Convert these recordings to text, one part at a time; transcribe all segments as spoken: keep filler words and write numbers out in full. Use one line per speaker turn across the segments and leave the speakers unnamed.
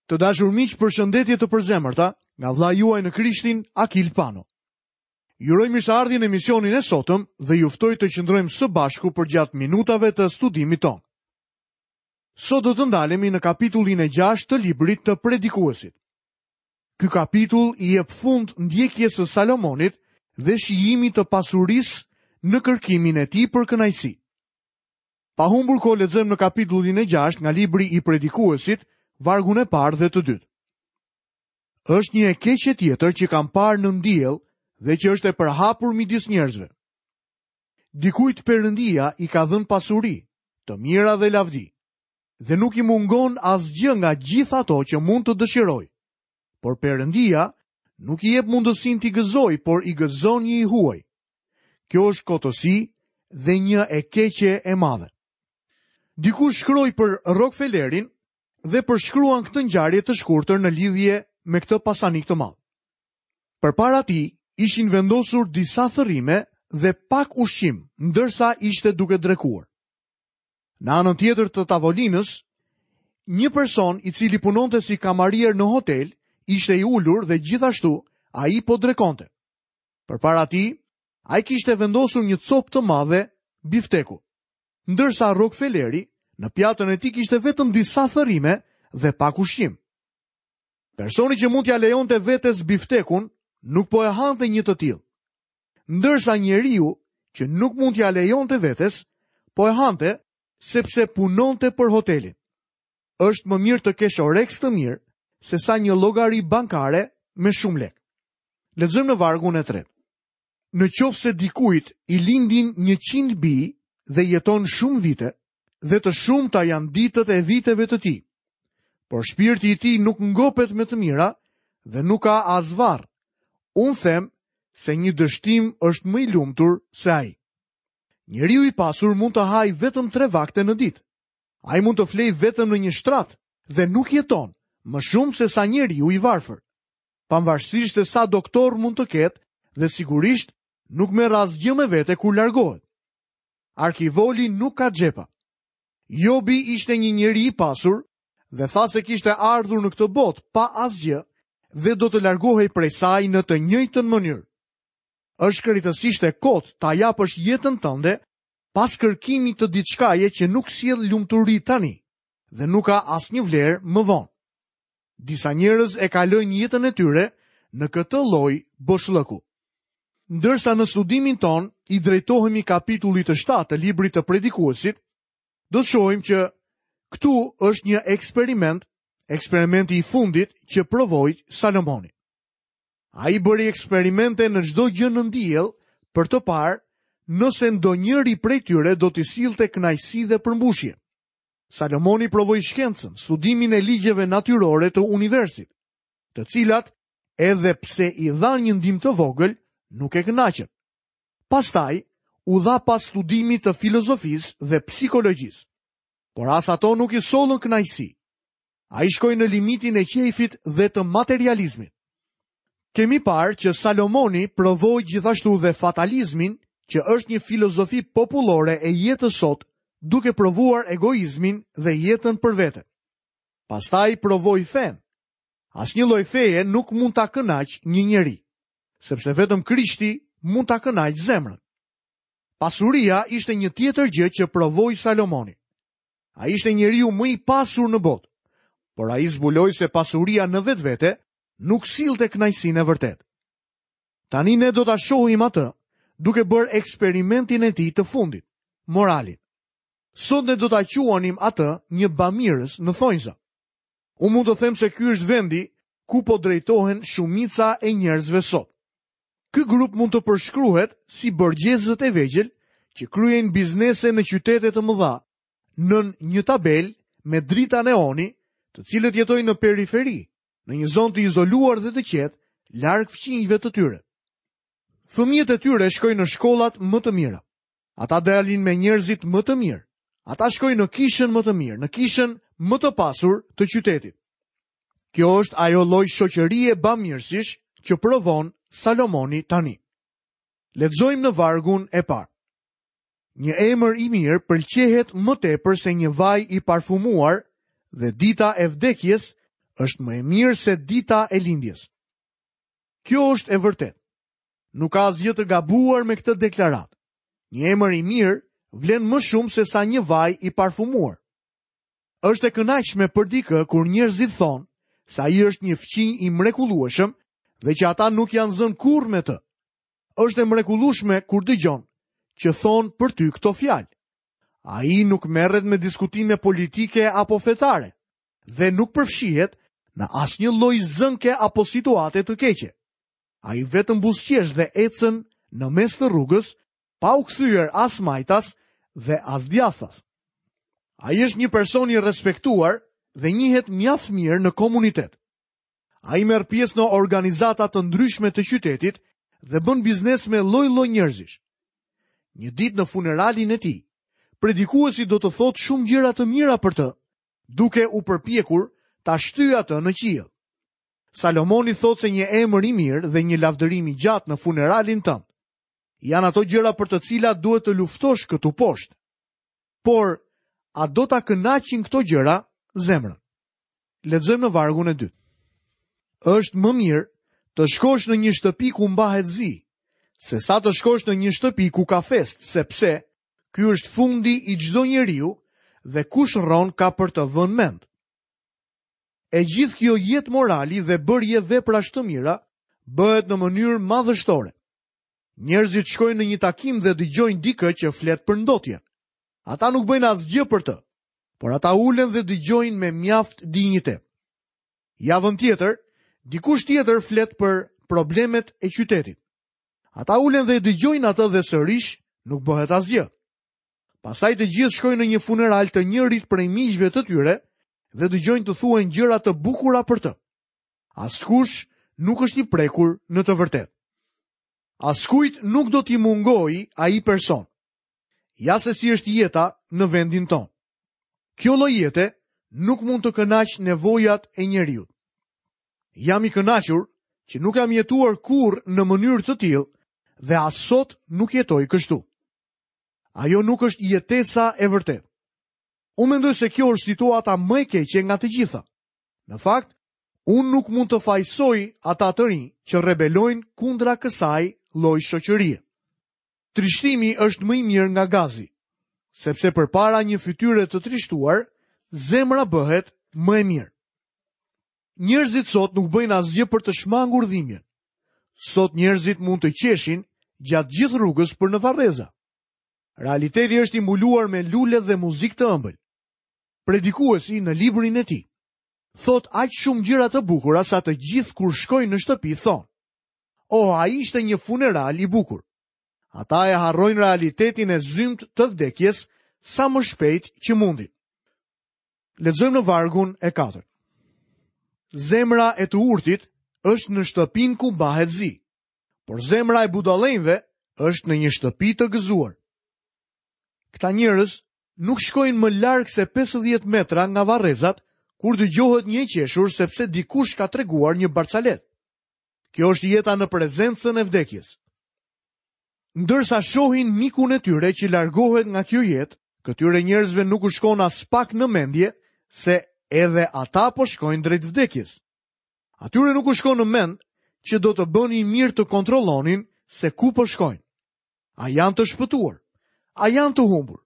Të dashur miq, përshëndetje të përzemërta nga vëllai juaj në Krishtin, Akil Pano. Ju uroj mirëseardhjen në emisionin e sotëm dhe ju ftoj të qëndrojmë së bashku përgjatë minutave të studimit tonë. Sot do të ndalemi në kapitullin e gjashtë të librit të Predikuesit. Ky kapitull i jep fund ndjekjes së Salomonit dhe shijimit të pasurisë në kërkimin e tij për kënaqësi. Pa humbur kohë, lexojmë në kapitullin e gjashtë nga libri i Predikuesit, vargun e parë dhe të dytë. Është një e keqe tjetër që kam parë nën diell dhe që është e përhapur midis njerëzve. Dikujt Perëndia i ka dhënë pasuri, të mira dhe lavdi, dhe nuk i mungon asgjë nga gjithë ato që mund të dëshirojë. Por Perëndia nuk i jep mundësinë t'i gëzojë, por i gëzon një i huaj. Kjo është kotësi dhe një e keqe e madhe. Dikush shkroi për Rockefellerin dhe përshkruan këtë ngjarje të shkurtër në lidhje me këtë pasanik të madh. Përpara tij ishin vendosur disa thërrime dhe pak ushqim, ndërsa ishte duke drekuar. Në anën tjetër të tavolinës, një person i cili punonte si kamarier në hotel ishte i ulur dhe gjithashtu ai po drekonte. Përpara tij, ai kishte vendosur një copë të madhe bifteku. Ndërsa Rockefelleri në pjatën e tij kishte vetëm disa thërrime dhe pak ushqim. Personi që mund t'ja lejonte vetes biftekun nuk po e hante një të tillë. Ndërsa njeriu që nuk mund t'ja lejonte vetes, po e hante sepse punonte për hotelin. Është më mirë të kesh oreks të mirë se sa një llogari bankare me shumë lekë. Lexojmë në vargun e tretë. Në qoftë se dikujt i lindin njëqind bij dhe jeton shumë vite, dhe të shumta janë ditët e viteve të tij, por shpirti i tij nuk ngopet me të mira dhe nuk ka as varr. Unë them se një dështim është më i lumtur se ai. Njeriu i pasur mund të hajë vetëm tre vakte në ditë. Ai mund të flejë vetëm në një shtrat dhe nuk jeton më shumë se sa njeriu i varfër. Pavarësisht se sa doktor mund të ketë dhe sigurisht nuk merr asgjë me vete kur largohet. Arkivoli nuk ka xhepa. Jobi ishte një njeri i pasur dhe tha se kishte ardhur në këtë botë pa asgjë dhe do të largohej prej saj në të njëjtën mënyrë. Është krejtësisht e kot ta japësh jetën tënde pas kërkimit të diçkaje që nuk sjell lumturi tani dhe nuk ka asnjë vlerë më vonë. Disa njerëz e kalojnë jetën e tyre në këtë lloj boshllëku. Ndërsa në studimin ton i drejtohemi kapitullit të shtatë të librit të Predikuesit, do të shohim që këtu është një eksperiment, eksperimenti i fundit që provoi Salomoni. Ai bëri eksperimente në çdo gjë nën diell për të parë nëse ndonjëri prej tyre do t'i sillte kënaqësi dhe përmbushje. Salomoni provoi shkencën, studimin e ligjeve natyrore të universit, të cilat edhe pse i dhanë një ndihmë të vogël, nuk e kënaqën. Pastaj u dha pas studimit të filozofisë dhe psikologjisë, por as ato nuk i sollën kënaqësi. Ai shkoi në limitin e qejfit dhe të materializmit. Kemi parë që Salomoni provoi gjithashtu dhe fatalizmin, që është një filozofi popullore e jetës sot, duke provuar egoizmin dhe jetën për vete. Pastaj provoi fen. Asnjë lloj feje nuk mund ta kënaq një njeri, sepse vetëm Krishti mund ta kënaq zemrën. Pasuria ishte një tjetër gjë që provoi Salomoni. Ai ishte njeriu më i pasur në botë, por ai zbuloi se pasuria në vetvete nuk sillte kënaqësinë e vërtetë. Tani ne do ta shohim atë duke bërë eksperimentin e tij të fundit, moralin. Sot ne do ta quanim atë një bamirës në thonjza. Unë mund të them se ky është vendi ku po drejtohen shumica e njerëzve sot. Ky grup mund të përshkruhet si borgjezët e vegjël që kryejnë biznese në qytete të mëdha, nën një tabel me drita neoni, të cilët jetojnë në periferi, në një zonë të izoluar dhe të qetë, larg fqinjve të tyre. Fëmijët e tyre shkojnë në shkollat më të mira. Ata dalin me njerëzit më të mirë. Ata shkojnë në kishën më të mirë, në kishën më të pasur të qytetit. Kjo është ajo lloj shoqërie bamirësish që provon Salomoni tani. Lexojmë në vargun e parë. Një emër i mirë pëlqehet më tepër se një vaj i parfumuar dhe dita e vdekjes është më e mirë se dita e lindjes. Kjo është e vërtetë. Nuk ka asgjë të gabuar me këtë deklaratë. Një emër i mirë vlen më shumë se sa një vaj i parfumuar. Është e kënaqshme për dikë kur njerëzit thonë se ai është një fqinj i mrekullueshëm dhe që ata nuk janë zënë kurrë me të. Është e mrekullueshme kur dëgjon që thonë për ty këto fjalë. Ai nuk merret me diskutime politike apo fetare dhe nuk përfshihet në asnjë lloj zënke apo situate të keqe. Ai vetëm buzëqesh dhe ecën në mes të rrugës pa u kthyer as majtas dhe as djathtas. Ai është një person i respektuar dhe njihet mjaft mirë në komunitet. Ai merr pjesë në organizata të ndryshme të qytetit dhe bën biznes me lloj-lloj njerëzish. Një ditë në funeralin e tij, predikuesi do të thotë shumë gjëra të mira për të, duke u përpjekur ta shtyjë atë në qiell. Salomoni thotë se një emër i mirë dhe një lavdërim i gjatë në funeralin tënd janë ato gjëra për të cilat duhet të luftosh këtu poshtë. Por, a do ta kënaqin këto gjëra zemrën? Lexojmë në vargun e dytë. Është më mirë të shkosh në një shtëpi ku mbahet zi, se sa të shkosh në një shtëpi ku ka festë, sepse ky është fundi i çdo njeriu dhe kush rron ka për të vënë mend. E gjithë kjo jetë morali dhe bërje veprash të mira bëhet në mënyrë madhështore. Njerëzit shkojnë në një takim dhe dëgjojnë dikë që flet për ndotjen. Ata nuk bëjnë asgjë për të, por ata ulen dhe dëgjojnë me mjaft dinjitet. Javën tjetër, dikush tjetër flet për problemet e qytetit. Ata ulen dhe dëgjojnë atë dhe sërish nuk bëhet asgjë. Pastaj të gjithë shkojnë në një funeral të njërit prej miqve të tyre dhe dëgjojnë të thuajnë gjëra të bukura për të. Askush nuk është i prekur në të vërtetë. Askujt nuk do t'i mungojë ai person. Ja se si është jeta në vendin tonë. Kjo lloj jete nuk mund të kënaqë nevojat e njeriut. Jam i kënaqur që nuk kam jetuar kurrë në mënyrë të tillë dhe as sot nuk jetoj kështu. Ajo nuk është jetesa e vërtetë. Unë mendoj se kjo është situata më e keqe nga të gjitha. Në fakt, unë nuk mund të fajsoj ata të rinj që rebelojnë kundra kësaj lloj shoqërie. Trishtimi është më i mirë nga gazi, sepse përpara një fytyre të trishtuar, zemra bëhet më e mirë. Njerëzit sot nuk bëjnë asgjë për të shmangur dhimbjen. Sot njerëzit mund të qeshin gjatë gjithë rrugës për në varreza. Realiteti është i mbuluar me lule dhe muzikë të ëmbël. Predikuesi në librin e tij thot aq shumë gjëra të bukura sa të gjithë kur shkojnë në shtëpi thonë: "Oh, ai ishte një funeral i bukur." Ata e harrojnë realitetin e zymtë të vdekjes sa më shpejt që mundin. Lexojmë në vargun e katërt. Zemra e të urtit është në shtëpinë ku mbahet zi, por zemra e budallenjve është në një shtëpi të gëzuar. Këta njerëz nuk shkojnë më larg se pesëdhjetë metra nga varrezat kur dëgjohet një e qeshur sepse dikush ka treguar një barcalet. Kjo është jeta në prezencën e vdekjes. Ndërsa shohin mikun e tyre që largohet nga kjo jetë, këtyre njerëzve nuk u shkon as pak në mendje se edhe ata po shkojnë drejt vdekjes. Atyre nuk u shkon në mend që do të bënin mirë të kontrollonin se ku po shkojnë. A janë të shpëtuar? A janë të humbur?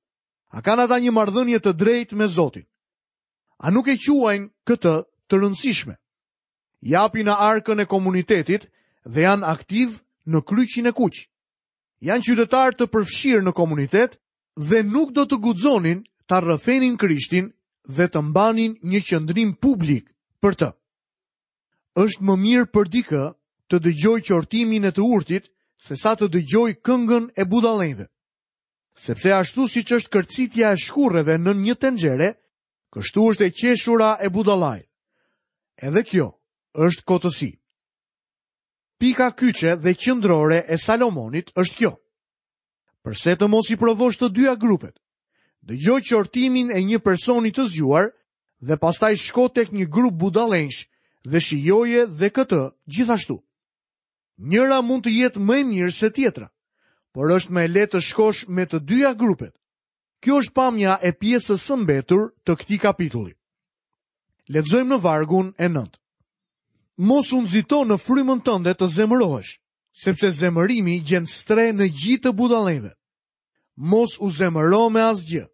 A kanë ata një marrëdhënie të drejtë me Zotin? A nuk e quajnë këtë të rëndësishme? Japin në arkën e komunitetit dhe janë aktiv në kryqin e kuq. Janë qytetarë të përfshirë në komunitet dhe nuk do të guxonin ta rrëfenin Krishtin dhe të mbanin një qëndrim publik për të. Është më mirë për dikë të dëgjojë qortimin e të urtit se sa të dëgjojë këngën e budallenjve. Sepse ashtu siç është kërcitja e shkurreve në një tenxhere, kështu është e qeshura e budallait. Edhe kjo është kotësi. Pika kyçe dhe qendrore e Salomonit është kjo. Përse të mos i provosh të dyja grupet? Dëgjoj qortimin e një personi të zgjuar dhe pastaj shko tek një grup budallenjsh dhe shijoje dhe këtë gjithashtu. Njëra mund të jetë më e mirë se tjetra, por është më e lehtë të shkosh me të dyja grupet. Kjo është pamja e pjesës së mbetur të këtij kapitulli. Lexojmë në vargun e nëntë. Mos u nxito në frymën tënde të zemërohesh, sepse zemërimi gjen strehë në gji të budallenjve. Mos u zemëro me asgjë.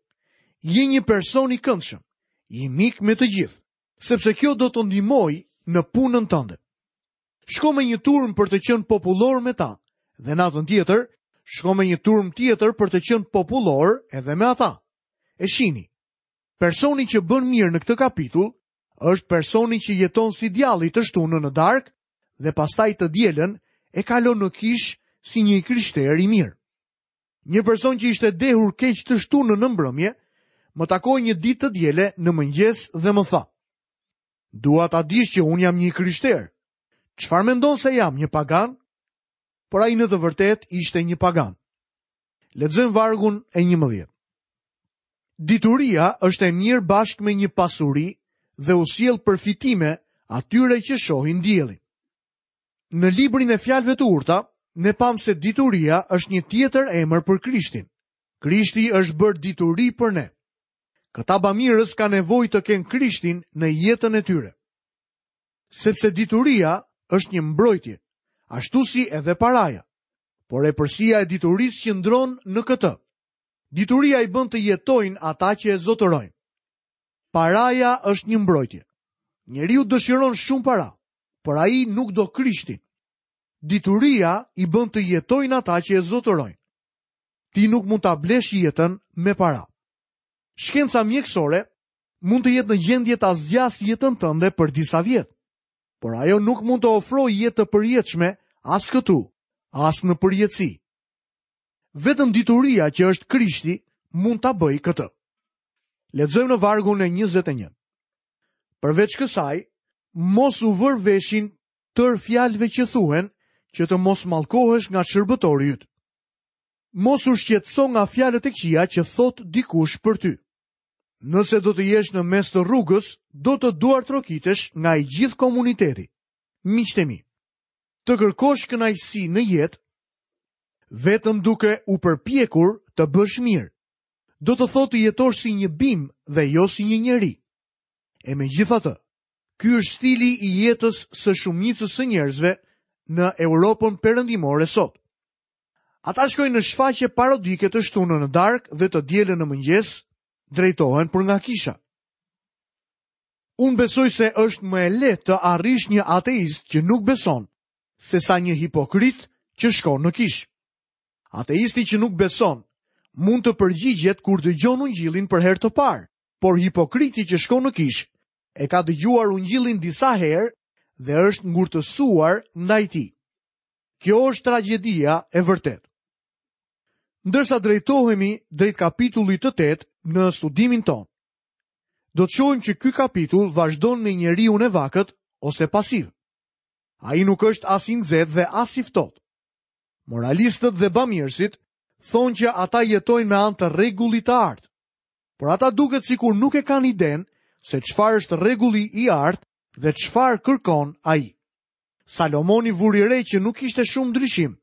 Je një person i këndshëm, i mik me të gjithë, sepse kjo do të ndihmojë në punën tënde. Shko me një turm për të qenë popullor me ta, dhe natën tjetër, shko me një turm tjetër për të qenë popullor edhe me ata. E shini, personi që bën mirë në këtë kapitull është personi që jeton si djalli të shtunën në darkë dhe pastaj të dielën e kalon në kishë si një i krishterë i mirë. Një person që ishte dehur keq të shtunën në mbrëmje, më takoi një ditë të diele në mëngjes dhe më tha: "Dua ta dish që unë jam një i krishterë. Çfarë mendon se jam, një pagan?" Por ai në të vërtetë ishte një pagan. Lexojmë vargun e njëmbëdhjetë. Dituria është e mirë bashkë me një pasuri dhe u sjell përfitime atyre që shohin diellin. Në librin e fjalëve të urta, ne pam se dituria është një tjetër emër për Krishtin. Krishti është bërë dituri për ne. Këta bamirës kanë nevojë të kenë Krishtin në jetën e tyre. Sepse dituria është një mbrojtje, ashtu si edhe paraja. Por epërsia e diturisë qëndron në këtë. Dituria i bën të jetojnë ata që e zotërojnë. Paraja është një mbrojtje. Njeriu dëshiron shumë para, por ai nuk do Krishtin. Dituria i bën të jetojnë ata që e zotërojnë. Ti nuk mund ta blesh jetën me para. Shkenca mjekësore mund të jetë në gjendje ta zgjasë jetën tënde për disa vjet, por ajo nuk mund të ofrojë jetë të përjetshme as këtu, as në përjetësi. Vetëm dituria që është Krishti mund ta bëjë këtë. Lexojmë në vargun e njëzet e një. Përveç kësaj, mos u vër veshin tër fjalëve që thuhen, që të mos mallkohesh nga shërbëtori yt. Mos u shqetëso nga fjalët e këqija që thot dikush për ty. Nëse do të jesh në mes të rrugës, do të duartrokitesh nga i gjithë komuniteti. Miqtë e mi, të kërkosh kënaqësi në jetë vetëm duke u përpjekur të bësh mirë, do të thotë të jetosh si një bimë dhe jo si një njeri. E megjithatë, ky është stili i jetës së shumicës së njerëzve në Europën perëndimore sot. Ata shkojnë në shfaqje parodike të shtunën në darkë dhe të dielën në mëngjes, drejtohen për nga kisha. Unë besoj se është më e lehtë të arrish një ateist që nuk beson, se sa një hipokrit që shkon në kishë. Ateisti që nuk beson mund të përgjigjet kur dëgjon ungjillin për herë të parë, por hipokriti që shkon në kishë e ka dëgjuar ungjillin disa herë dhe është ngurtësuar ndaj tij. Kjo është tragjedia e vërtetë. Ndërsa drejtohemi drejt kapitullit të tetë në studimin tonë, do të shohim që ky kapitull vazhdon me njeriun e vakët ose pasiv. Ai nuk është as i nxehtë dhe as i ftohtë. Moralistët dhe bamirësit thonë që ata jetojnë me anë të rregullit të artë, por ata duket sikur nuk e kanë idenë se çfarë është rregulli i artë dhe çfarë kërkon ai. Salomoni vuri re që nuk ishte shumë ndryshim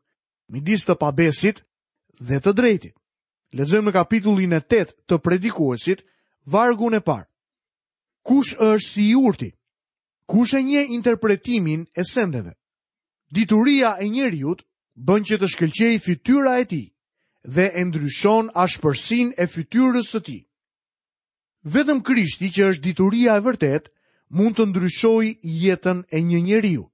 midis të pabesit dhe të drejtit. Lexojmë në kapitullin e tetë të Predikuesit, vargun e parë. Kush është si i urti? Kush e njeh interpretimin e sendeve? Dituria e njeriut bën që të shkëlqejë fytyra e tij dhe e ndryshon ashpërsinë e fytyrës së tij. Vetëm Krishti, që është dituria e vërtetë, mund të ndryshojë jetën e një njeriu.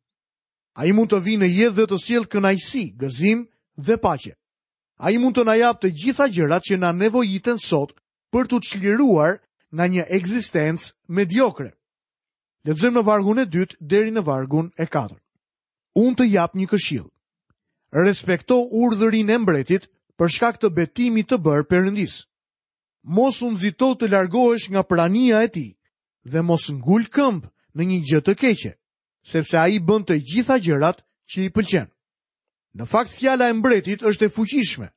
Ai mund të vijë në jetë dhe të sjellë kënaqësi, gëzim dhe paqe. Ai mund të na japë të gjitha gjërat që na nevojiten sot për t'u çliruar nga një ekzistencë mediokre. Lexojmë në vargun e dytë deri në vargun e katërt. Unë të jap një këshill. Respekto urdhërin e mbretit për shkak të betimit të bërë Perëndis. Mos u nxito të largohesh nga prania e tij dhe mos ngul këmbë në një gjë të keqe, sepse ai bën të gjitha gjërat që i pëlqen. Në fakt, fjala e mbretit është e fuqishme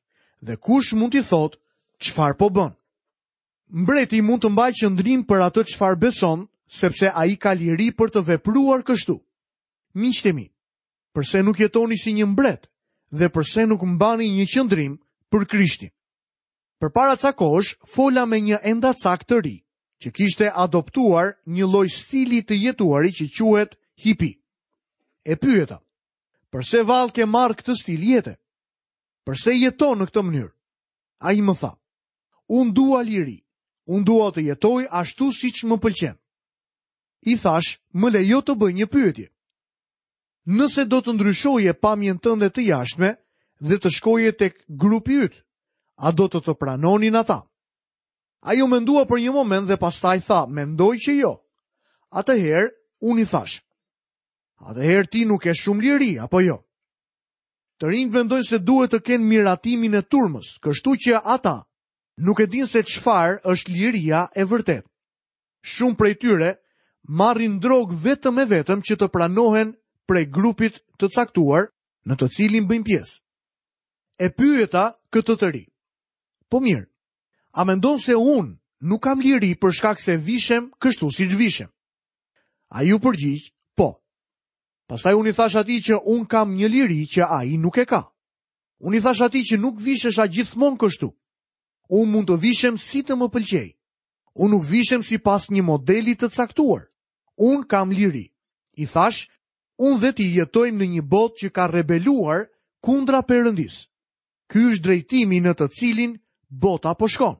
dhe kush mund t'i thotë çfarë po bën? Mbreti mund të mbajë qëndrim për atë çfarë beson, sepse ai ka liri për të vepruar kështu. Miqtë e mi, përse nuk jetoni si një mbret dhe përse nuk mbani një qëndrim për Krishtin? Përpara ca kohësh fola me një endacak të ri, që kishte adoptuar një lloj stili të jetuari që quhet hippie. E pyeta, përse vallë ke marrë këtë stil jete? Përse jeton në këtë mënyrë? Ai më tha, unë dua liri, unë dua të jetoj ashtu siç më pëlqen. I thash, më lejo të bëj një pyetje. Nëse do të ndryshoje pamjen tënde të jashtme dhe të shkoje tek grupi yt, a do të të pranonin ata? Ai u mendua për një moment dhe pastaj tha, mendoj që jo. Atëherë, unë i thash, atëherë ti nuk ke shumë liri, apo jo? Të rinjtë mendojnë se duhet të kenë miratimin e turmës, kështu që ata nuk e dinë se çfarë është liria e vërtetë. Shumë prej tyre marrin drogë vetëm e vetëm që të pranohen prej grupit të caktuar në të cilin bëjnë pjesë. E pyeta këtë të ri. Po mirë, a mendon se unë nuk kam liri për shkak se vishem kështu siç vishem? Ai u përgjigj, po. Pastaj unë i thash atij që unë kam një liri që ai nuk e ka. Unë i thash atij që nuk vishesha gjithmonë kështu. Unë mund të vishem si të më pëlqej. Unë nuk vishem sipas një modeli të caktuar. Unë kam liri. I thash, unë dhe ti jetojmë në një botë që ka rebeluar kundra Perëndisë. Ky është drejtimi në të cilin bota po shkon.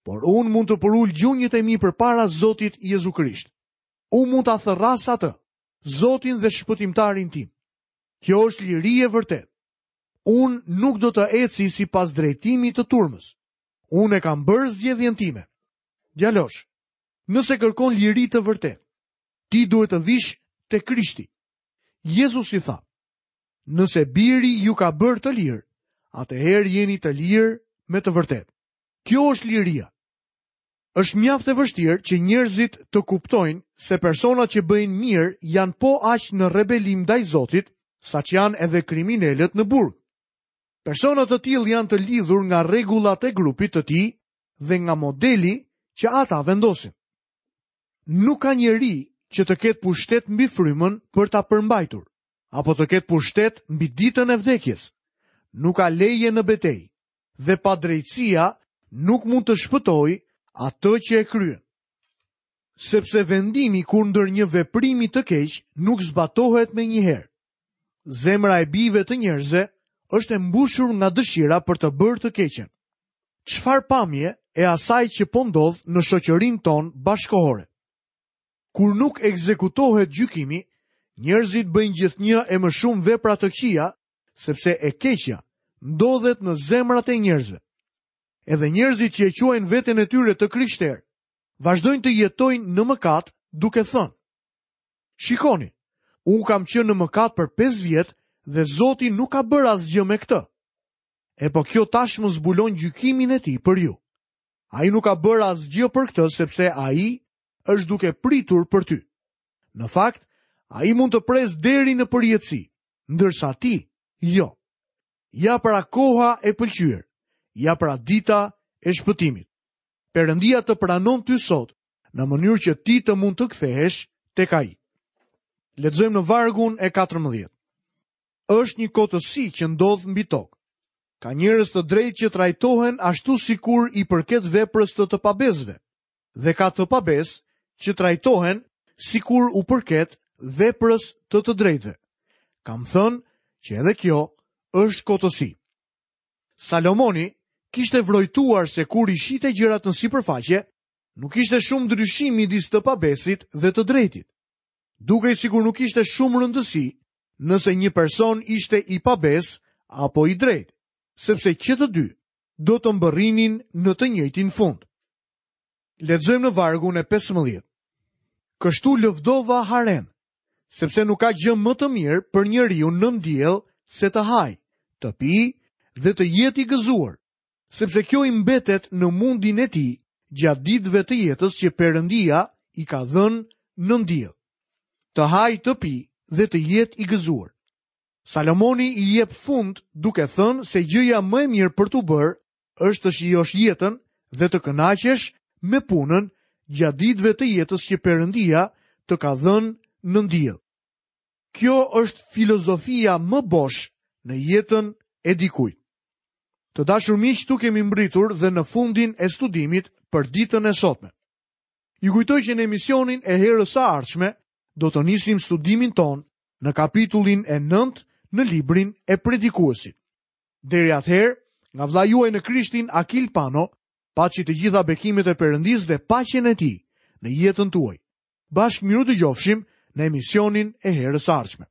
Por unë mund të përul gjunjët e mi përpara Zotit Jezu Krisht. Unë mund ta thërras atë, Zotin dhe shpëtimtarin tim. Kjo është liri e vërtetë. Unë nuk do të eci sipas drejtimit të turmës. Unë e kam bërë zgjedhjen time. Djalosh, nëse kërkon liri të vërtetë, ti duhet të vish te Krishti. Jezusi tha, nëse biri ju ka bërë të lirë, atëherë jeni të lirë me të vërtetë. Kjo është liria. Është mjaft e vështirë që njerëzit të kuptojnë se personat që bëjnë mirë janë po aq në rebelim ndaj Zotit, sa që janë edhe kriminelët në burg. Persona të tillë janë të lidhur nga rregullat e grupit të tij dhe nga modeli që ata vendosin. Nuk ka njeri që të ketë pushtet mbi frymën për ta përmbajtur, apo të ketë pushtet mbi ditën e vdekjes. Nuk ka leje në betejë dhe padrejtësia nuk mund të shpëtojë atë që e kryen. Sepse vendimi kundër një veprimi të keq nuk zbatohet menjëherë. Zemra e bijve të njerëzve është e mbushur nga dëshira për të bërë të keqen. Çfarë pamje e asaj që po ndodh në shoqërinë tonë bashkohore? Kur nuk ekzekutohet gjykimi, njerëzit bëjnë gjithnjë e më shumë vepra të këqija, sepse e keqja ndodhet në zemrat e njerëzve. Edhe njerëzit që e quajnë veten e tyre të krishterë, vazhdojnë të jetojnë në mëkat duke thënë: Shikoni, unë kam qenë në mëkat për pesë vjet dhe Zoti nuk ka bërë asgjë me këtë. E po kjo tashmë zbulon gjykimin e tij për ju. Ai nuk ka bërë asgjë për këtë sepse ai është duke pritur për ty. Në fakt, ai mund të presë deri në përjetësi, ndërsa ti jo. Ja pra koha e pëlqyer, ja pra dita e shpëtimit. Perëndia të pranon ty sot, në mënyrë që ti të mund të kthehesh tek ai. Lexojmë në vargun e katërmbëdhjetë. Është një kotësi që ndodh mbi tokë. Ka njerëz të drejtë që trajtohen ashtu sikur i përket veprës të të pabesëve, dhe ka të pabesë që trajtohen sikur u përket veprës të të drejtëve. Kam thënë që edhe kjo është kotësi. Salomoni kishte vrojtuar se kur i shite gjërat në sipërfaqe, nuk ishte shumë ndryshim midis të pabesit dhe të drejtit. Dukej sikur nuk ishte shumë rëndësi nëse një person ishte i pabes apo i drejtë, sepse që të dy do të mbërrinin në të njëjtin fund. Lexojmë në vargun e pesëmbëdhjetë. Kështu lëvdova haren, sepse nuk ka gjë më të mirë për njeriu nën diell se të haj, të pi dhe të jetë i gëzuar, sepse kjo i mbetet në mundin e tij gjatë ditëve të jetës që Perëndia i ka dhënë nën diell. Të haj, të pi dhe të jetë i gëzuar. Salomoni i jep fund duke thënë se gjëja më e mirë për t'u bërë është të shijosh jetën dhe të kënaqesh me punën gjatë ditëve të jetës që Perëndia të ka dhënë nën diell. Kjo është filozofia më bosh në jetën e dikujt. Të dashur miq, këtu kemi mbritur dhe në fundin e studimit për ditën e sotme. Ju kujtoj që në emisionin e herës së ardhshme do të nisim studimin tonë në kapitullin e nëntë në librin e Predikuesit. Deri atëherë, nga vëllai juaj në Krishtin Akil Pano, paçi të gjitha bekimet e Perëndisë dhe paqen e tij në jetën tuaj. Bashkë mirudëgjofshim në emisionin e herës së ardhshme.